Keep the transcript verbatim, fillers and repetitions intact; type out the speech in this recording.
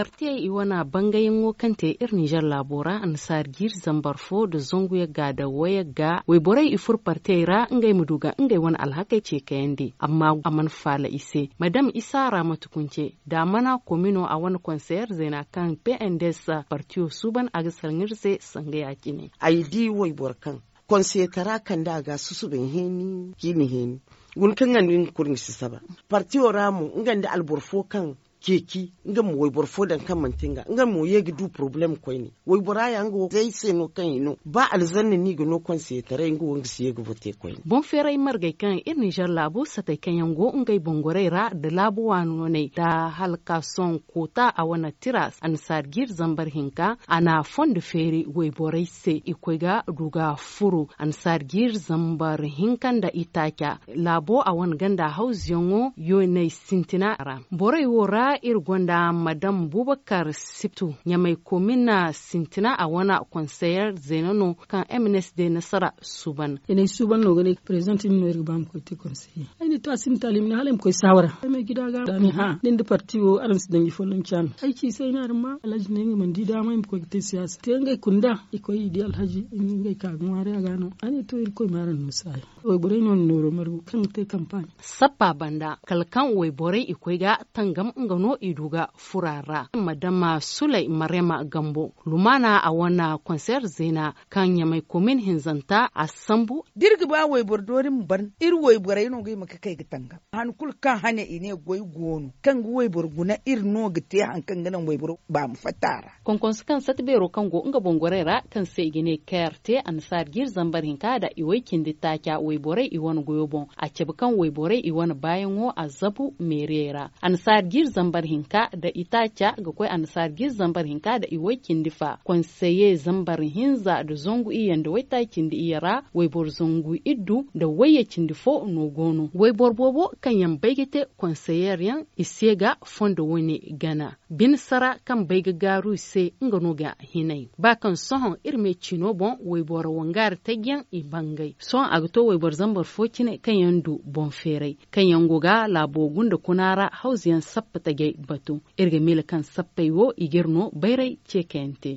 Partiyey i wane bangayaŋo kaŋ te iri ninzeer laabo ra annasaari jiiri zambar fo nda zangu yagga nda wayagga wayborey i furo partiyey ra ngey ma du ga ngey wane alhakey ce kayandi amma a mana faala i se. Madam isa ra mate kunce nda a mana komino a wane konseyer zeena kaŋ pnds partiyo suuban a ga salaŋ iri se sanga ya- cine. Ay di wayboro kaŋ konseyetara kande a ga a susubay heeni ciini heeni, guna kaŋ nga nda nga kulu nga si saba. Partiyo ra mo nga nda alboro fo kaŋ ceeci nga ma wayboro fo daŋ kaŋ manti nga nga mo ye ga du porobalem koyne. Waybora ya nga wo zay se no kaŋ i no ba alzanna no i ga no konseyetaray nga wo nga si ye ga vote koyne. Boŋ feeray margey kaŋ iri ninzeer laabo satey kaŋ yaŋ go ngey boŋ gorey ra nda laabu waano ney nda hala ka sohõ koota a wane tira annasaari jiiri zambar hinka a na fondo feeri wayborey se i koy ga du ga furo annasaari jiiri zambar hinka nda itaaca laabo a wane ganda hawzuyaŋo yooney sintina ra. Borey wo ra iri gonda madam bubakar siptu ɲamay komina sintina a wane konseyer zeena no kaŋ mns de nasara suuban. I ne ay suuban no ga ne prezent iri no iri ga ba ma koy te konseyer ay ne to a sinda taali ma ne hala ay ma koy saawara ay ma ay gida ga a ne hã da ni nda parti wo araŋ si daŋ i folloŋ caami ay ci se ay ne araŋ ma alhaji ne nga mana di daama ay ma koy ga te siyaasa te ngey kunda i koy i di alhaji ngey ka ga ŋwaaray a ga no a ne to irkoy ma araŋ no saayi. Wayborey no na nooro margu kaŋ ga te kampaaɲ. Sappa banda kala kaŋ wayborey i koy ga tangam nga no i du ga fura ra madama sulay marema gambo lumaana a wane konseer zeena kaŋ ɲamay komin hinzanta a sambu. Da iri ga ba wayboro doori ma ban iri wayborey no ga hima ga kay ga tangam han kulu kaŋ hane i ne goy go no kaŋ ga wayboro guna iri no ga te hari kaŋ ga naŋ wayboro ba ma fatta a ra. Konkonso kaŋ sata beero kaŋ go nga boŋ gorey ra kaŋ se i ga ne kayar te annasaari jiiri zambar hinka nda i way cindi taaca wayborey i wane goyo boŋ a cabe kaŋ wayborey i wane baayaŋo a zabu meeriyey ra. Annasaari jiiri zambar hinka nda itaaca ga koy annasaari jiiri zambar hinka nda i way cindi fa konseye zambar hinza nda zangu iyye nda waytaaci cindi iyye ra wayboro zangu iddu nda wayye cindi fo no go no wayboro boobo kaŋ yaŋ bay ga te konseyeer yaŋ i se ga fondo wane gana. Bine sara kaŋ bay ga gaaru i se nga no ga hinay ba kaŋ sohõ iri me ciino boŋ wayboro wangaari taji yaŋ i bangay sohõ a ga to wayboro zambar fo cine kaŋ yaŋ du boŋ feeray kaŋ yaŋ go ga laabo gunda kuna ra hawzu yaŋ sappa tajay batu. Iri ga miila kaŋ sappey wo i ga iri no bayray ce kayante.